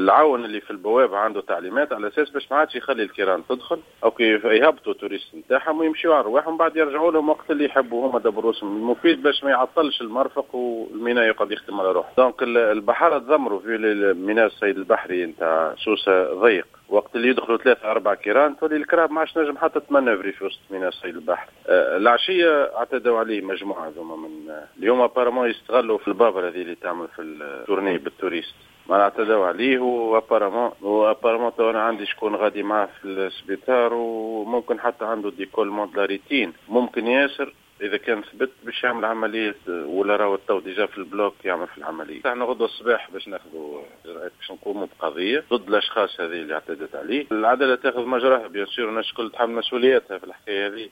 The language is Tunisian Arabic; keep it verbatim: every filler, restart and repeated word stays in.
العون اللي في البوابة عنده تعليمات على اساس باش ما عادش يخلي الكيران تدخل او كيف يهبطوا touristes نتاعهم ويمشيوا على رواحهم، بعد يرجعوا لهم وقت اللي يحبوا هما دبروسهم. المفيد باش ما يعطلش المرفق والميناء يقعد يخدم على روحه. donc البحارة تذمروا في الميناء الصيد البحري نتاع سوسة ضيق، وقت اللي يدخلوا ثلاثة أربعة كيران تولي الكراهب ما عادش نجم حتى تمنفري في وسط ميناء الصيد البحري. آه العشية اعتدوا عليه مجموعة هذوما من اليوم apparemment يستغلوا في البابرة هذه اللي تعمل في ال tournée بال touristes، ما اعتدوا عليه و apparemment و apparemment انا عندي شكون غادي معاه في السبيطار وممكن حتى عنده décollement de la rétine، ممكن ياسر اذا كان ثبت باش يعمل عملية ولا راهو تو déjà في ال bloc يعمل في العمليه. احنا غدوه الصباح باش ناخذوا اجراءات باش نقوموا بقضيه ضد الاشخاص هذه اللي اعتدت عليه. العدالة تاخذ مجراها bien sûr، الناس الكل تحمل مسؤولياتها في الحكاية هذه.